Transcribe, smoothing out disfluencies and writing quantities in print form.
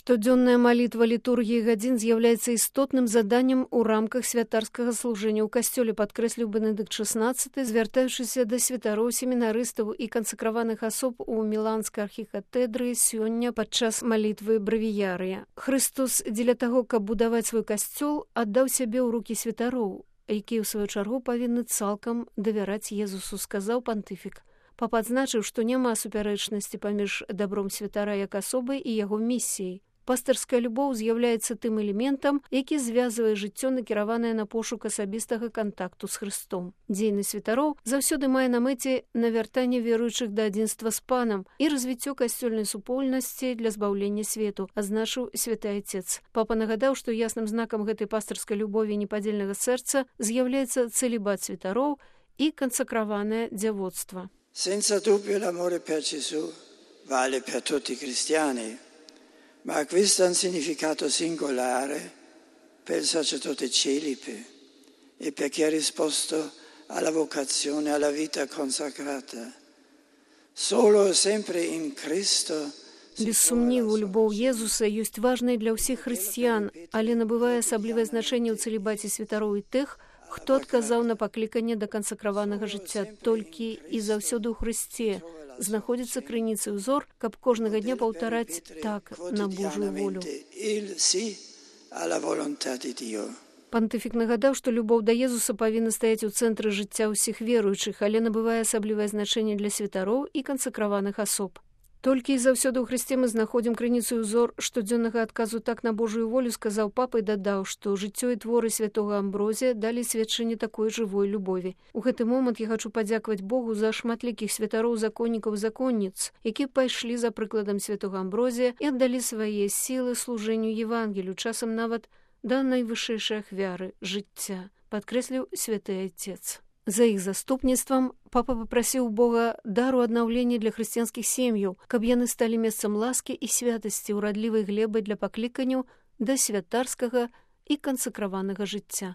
Штодзённая малітва літургіі гадзін з'яўляецца істотным заданнем у рамках святарскага служэння ў касцёле, падкрэсліў Бенедыкт XVI, звяртаючыся да святароў, семінарыстаў і кансакраваных асоб у міланскай архікатэдры сёння падчас малітвы брэвіярыя. Хрыстос дзеля таго, каб будаваць свой касцёл, аддаў сябе ў рукі святароў, якія ў сваю чаргу павінны цалкам давяраць Езусу, сказаў пантыфік. Папа адзначыў, што няма супярэчнасці паміж дабром святара як асобы і яго місіяй. Пастырская любоў з'яўляецца тым элементам, які звязвае жыццё, накіраванае на пошук асабістага кантакту з Хрыстом. Дзейнасць святароў заўсёды мае на мэце навяртанне веруючых да адзінства з Панам і развіццё касцёльнай супольнасці для збаўлення свету, адзначыў святы Айцец. Папа нагадаў, што ясным знакам гэтай пастырскай любові і непадзельнага сэрца з'яўляецца цэлібат святароў і кансакраванае дзявоцтва. Senza dubbio l'amore per Gesù vale per tutti i cristiani, ma acquista un significato singolare per il sacerdote celibe e per chi ha risposto alla vocazione, alla vita consacrata. Solo e sempre in Cristo. Без сумніву, любоў Езуса ёсць важнай для ўсіх хрысціян, але набывае асаблівае значэнне ў цэлібаце святароў і тых, хто адказаў на пакліканне да кансакраванага жыцця. Толькі і заўсёды ў Хрысце знаходзіцца крыніца ўзор, каб кожнага дня паўтараць так на Божую волю. Пантыфік нагадаў, што любоў да Езуса павінна стаяць у цэнтры жыцця ўсіх веруючых, але набывае асаблівае значэнне для святароў і кансакраваных асоб. Толькі і заўсёды ў Хрысце мы знаходзім крыніцу ўзор штодзённага адказу так на Божую волю, сказаў папа і дадаў, што жыццё і творы святога Амброзія далі сведчанне такой жывой любові. У гэты момант я хачу падзякаваць Богу за шматлікіх святароў, законнікаў і законніц, які пайшлі за прыкладам святога Амброзія і аддалі свае сілы служэнню Евангелію, часам нават да найвышэйшай ахвяры жыцця, падкрэсліў святы Айцец. За іх заступніцтвам папа папрасіў Бога дару аднаўлення для хрысціянскіх сем'яў, каб яны сталі месцам ласкі і святасці, урадлівай глебай для пакліканняў да святарскага і кансакраванага жыцця.